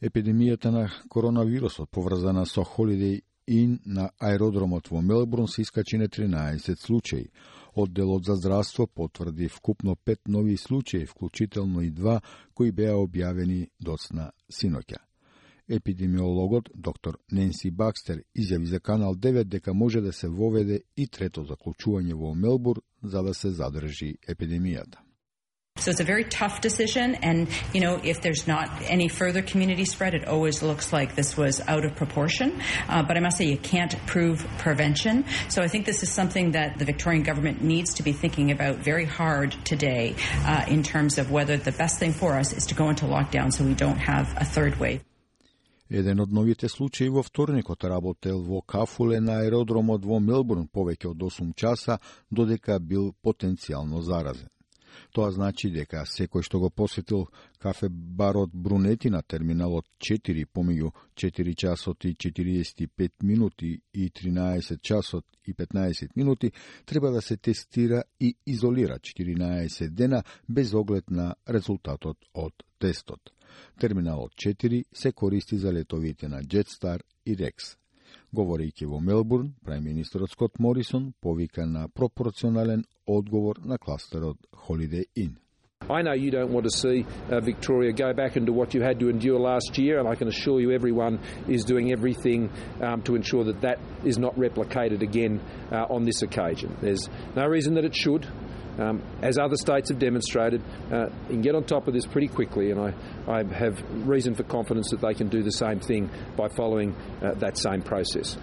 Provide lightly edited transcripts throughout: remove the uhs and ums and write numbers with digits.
Епидемијата на коронавирусот поврзана со Holiday Inn на аеродромот во Мелбурн се искачи на 13 случаи. Одделот за здравство потврди вкупно 5 нови случаи, вклучително и 2 кои беа објавени доцна синоќа. Епидемиологот доктор Ненси Бакстер изјави за Канал 9 дека може да се воведе и трето заклучување во Мелбурн за да се задржи епидемијата. So it's a very tough decision, and if there's not any further community spread, it always looks like this was out of proportion. But I must say, you can't prove prevention. So I think this is something that the Victorian government needs to be thinking about very hard today in terms of whether the best thing for us is to go into lockdown so we don't have a third wave. Еден од новите случаи во вторникот работел во кафуле на аеродромот во Мелбурн повеќе од 8 часа, додека бил потенцијално заразен. Тоа значи дека секој што го посетил кафе барот Брунети на терминалот 4 помеѓу 4 часот и 45 минути и 13 часот и 15 минути треба да се тестира и изолира 14 дена без оглед на резултатот од тестот. Терминалот 4 се користи за летовите на Jetstar и Rex. Говорејќи во Мелбурн, премиерот Скот Морисон повика на пропорционален одговор на кластерот Holiday Inn. I know you don't want to see Victoria go back into what you had to endure last year, and I can assure you everyone is doing everything to ensure that that is not replicated again on this occasion. There's no reason that it should. As other states have demonstrated, you can get on top of this pretty quickly, and I have reason for confidence that they can do the same thing by following that same process.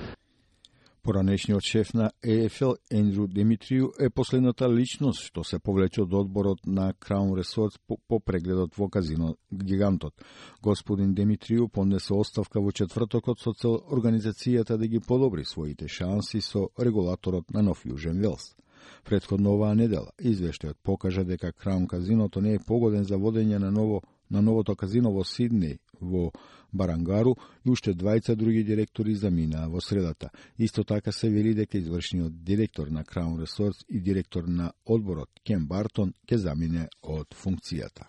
Поранешниот шеф на ЕФЛ Ендрю Демитрију е последната личност што се повлече од одборот на Crown Resorts по прегледот во казино Гигантот. Господин Демитрију поднесе оставка во четвртокот со цел организацијата да ги подобри своите шанси со регулаторот на Нов Јужен Велс. Претходно оваа недела извештајот покажа дека Краун казиното не е погоден за водење на новото казино во Сиднеј во Барангару и уште двајца други директори заминаа во средата. Исто така се вели дека извршниот директор на Crown Resorts и директор на одборот Кен Бартон ќе замине од функцијата.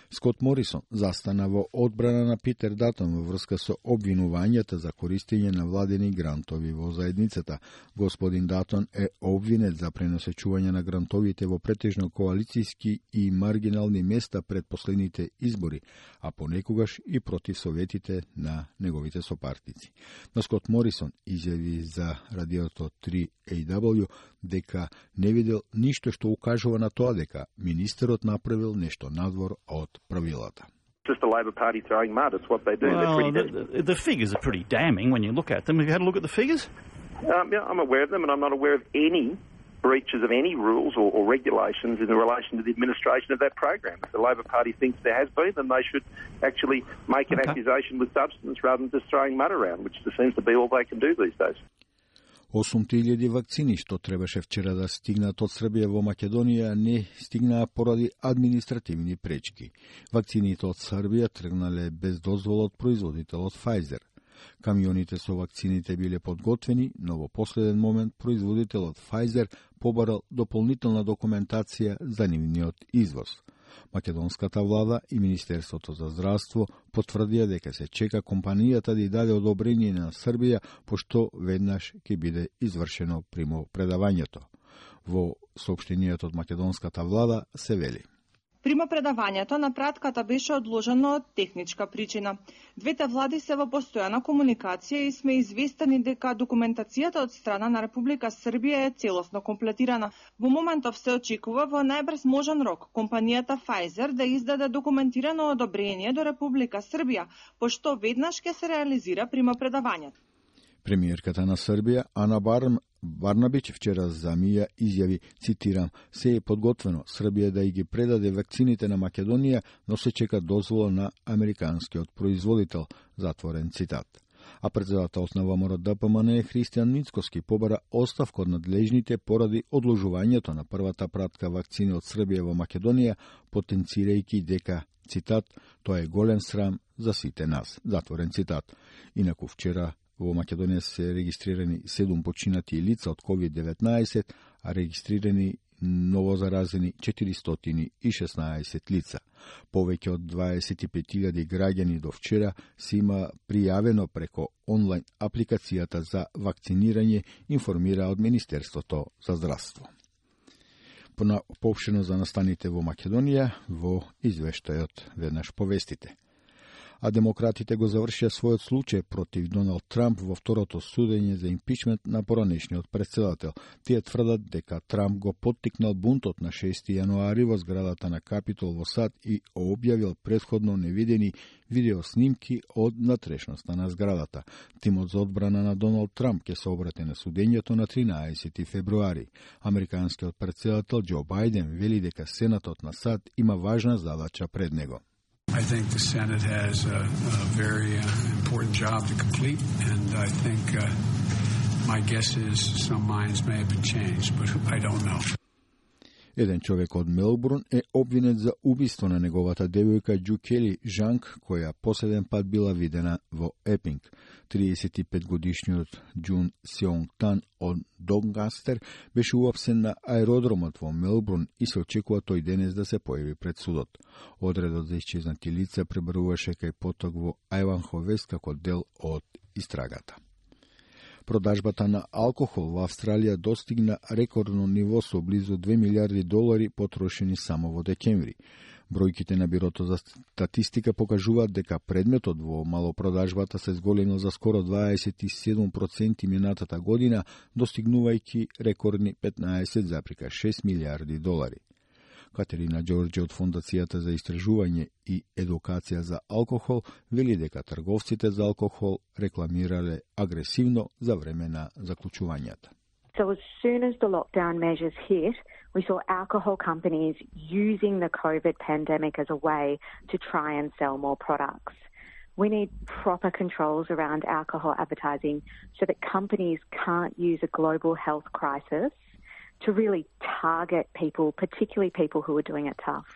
Скот Морисон застана во одбрана на Питер Датон во врска со обвинувањата за користење на владени грантови во заедницата. Господин Датон е обвинет за преносечување на грантовите во претежно коалицијски и маргинални места пред последните избори, а понекогаш и против советите на неговите сопартници. Но Скот Морисон изјави за радиото 3AW дека не видел ништо што укажува на тоа дека министерот направил нешто надвор од правилата. Just the Labor Party throwing mud. It's what they do. Well, the figures are pretty damning when you look at them. Have you had a look at the figures? Yeah, I'm aware of them, and I'm not aware of any breaches of any rules or regulations in relation to the administration of that program. If the Labor Party thinks there has been, then they should actually make an accusation with substance rather than just throwing mud around, which seems to be all they can do these days. 8.000 вакцини што требаше вчера да стигнат од Србија во Македонија не стигнаа поради административни пречки. Вакцините од Србија тргнале без дозвола од производителот Pfizer. Камионите со вакцините биле подготвени, но во последен момент производителот Pfizer побарал дополнителна документација за нивниот извоз. Македонската влада и Министерството за здравство потврдија дека се чека компанијата да ја даде одобрение на Србија, пошто веднаш ќе биде извршено примопредавањето. Во соопштенијето од македонската влада се вели: Примопредавањето на пратката беше одложено од техничка причина. Двете влади се во постојана комуникација и сме известени дека документацијата од страна на Република Србија е целосно комплетирана. Во моментов се очекува во најбрз можен рок компанијата Pfizer да издаде документирано одобрение до Република Србија, пошто веднаш ќе се реализира примопредавањето. Премиерката на Србија Ана Барнабич вчера за МИА изјави, цитирам: "Се е подготвено Србија да ги предаде вакцините на Македонија, но се чека дозвола на американскиот производител", затворен цитат. А председателот на ВМРО ДПМН Христијан Мицкоски побара оставка од надлежните поради одложувањето на првата пратка вакцини од Србија во Македонија, потенцирајќи дека, цитат, "тоа е голем срам за сите нас", затворен цитат. Инаку вчера во Македонија се регистрирани 7 починати лица од COVID-19, а регистрирани новозаразени 416 лица. Повеќе од 25.000 граѓани до вчера се има пријавено преко онлайн апликацијата за вакцинирање, информира од Министерството за здравство. Поопштено за настаните во Македонија во извештајот веднаш повестите. А демократите го завршија својот случај против Доналд Трамп во второто судење за импичмент на поранешниот претседател. Тие тврдат дека Трамп го поттикнал бунтот на 6 јануари во зградата на Капитол во САД и објавил претходно невидени видеоснимки од натрешноста на зградата. Тимот за одбрана на Доналд Трамп ќе се обрати на судењето на 13 февруари. Американскиот претседател Џо Бајден вели дека Сенатот на САД има важна задача пред него. I think the Senate has a very important job to complete, and I think my guess is some minds may have been changed, but I don't know. Еден човек од Мелбурн е обвинет за убиство на неговата девојка Џу Кели Жанг, која последен пат била видена во Епинг. 35-годишниот Џун Сеонг Тан од Донгастер беше уапсен на аеродромот во Мелбурн и се очекува тој денес да се појави пред судот. Одредот за исчезнати лица пребаруваше кај поток во Ајванхо Вест како дел од истрагата. Продажбата на алкохол во Австралија достигна рекордно ниво со близу $2 милиарди потрошени само во декември. Бројките на Бирото за статистика покажуваат дека предметот во малопродажбата се зголемил за скоро 27% минатата година, достигнувајќи рекордни $15,6 милиарди. Катерина Ѓорѓе од Фондацијата за истражување и едукација за алкохол вели дека трговците за алкохол рекламирале агресивно за време на заклучувањата. So as soon as the lockdown measures hit, we saw alcohol companies using the COVID pandemic as a way to try and sell more products. We need proper controls around alcohol advertising so that companies can't use a global health crisis to really target people, particularly people who are doing it tough.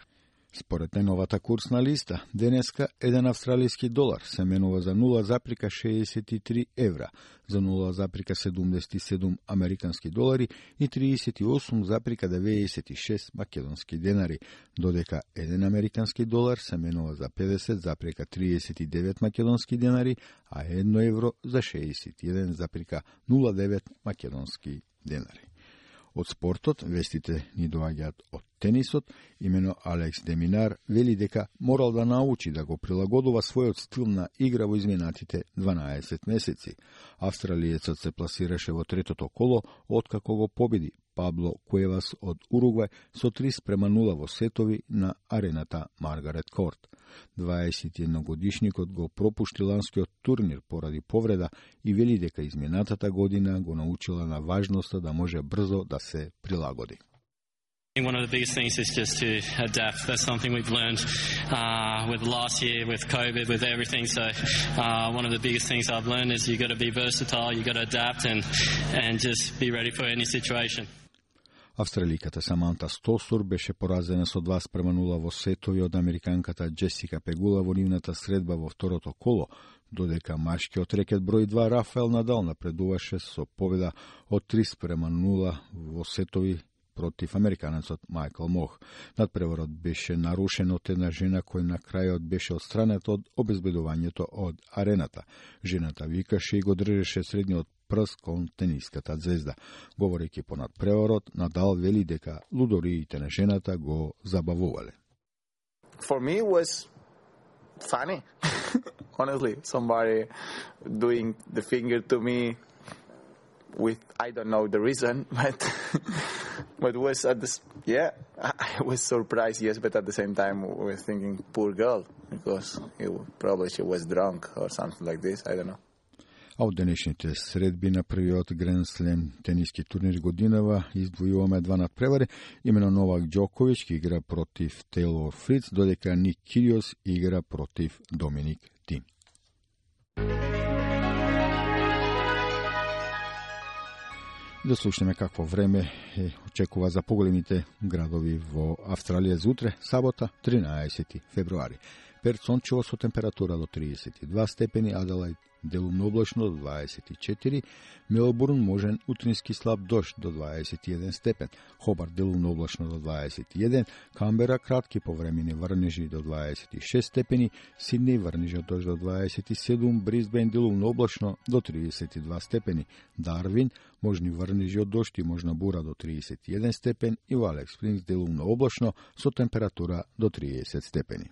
Според најновата курсна листа, денеска еден австралиски долар се менува за 0,63 евра, за 0,77 американски долари и 38,96 македонски денари, додека еден американски долар се менува за 50,39 македонски денари, а 1 евро за 61,09 македонски денари. Од спортот, вестите ни доаѓаат од тенисот. Имено Алекс де Минар вели дека морал да научи да го прилагодува својот стил на игра во изминатите 12 месеци. Австралиецот се пласираше во третото коло, откако го победи Пабло Куевас од Уругвај со 3-0 во сетови на арената Маргарет Корт. 21-годишникот го пропушти ланскиот турнир поради повреда и вели дека изминатата година го научила на важноста да може брзо да се прилагоди. One of the biggest things is just to adapt. That's something we've learned with last year, with COVID, with everything. So one of the biggest things I've learned is you've got to be versatile, you've got to adapt and just be ready for any situation. Австраликата Саманта Стосур беше поразена со 2-0 во сетови од американката Джесика Пегула во нивната средба во второто коло, додека машкиот рекет број 2 Рафаел Надал напредуваше со победа од 3-0 во сетови против американецот Мајкл Мох. Надпреварот беше нарушен од една жена која на крајот беше отстранета од обезбедувањето од арената. Жената викаше и го држеше средниот прст кон тениската звезда. Говорејќи по надпреварот, Надал вели дека лудориите на жената го забавувале. For me it was funny. Honestly, somebody doing the finger to me with I don't know the reason, but was at this I was surprised, yes, but at the same time we were thinking poor girl because she was drunk or something like this, I don't know. А од денешните средби на првиот Гранд Слем тениски турнир годинава издвојуваме два надпревари. Имено Новак Ѓоковиќ ќе игра против Тейлор Фриц, додека Ник Кириос игра против Доминик Тим. Да слушнеме какво време очекува за поголемите градови во Австралија за утре, сабота, 13 февруари. Перт сончево со температура до 32 степени, Аделаид делумно облачно до 24, Мелбурн можен утрински слаб дожд до 21 степен, Хобарт делумно облачно до 21, Камбера кратки повремени врнежи до 26 степени, Сиднеј врнежи дожд до 27, Брисбен делумно облачно до 32 степени, Дарвин можни врнежи од дожд и можна бура до 31 степен и во Алекс Спрингс делумно облачно со температура до 30 степени.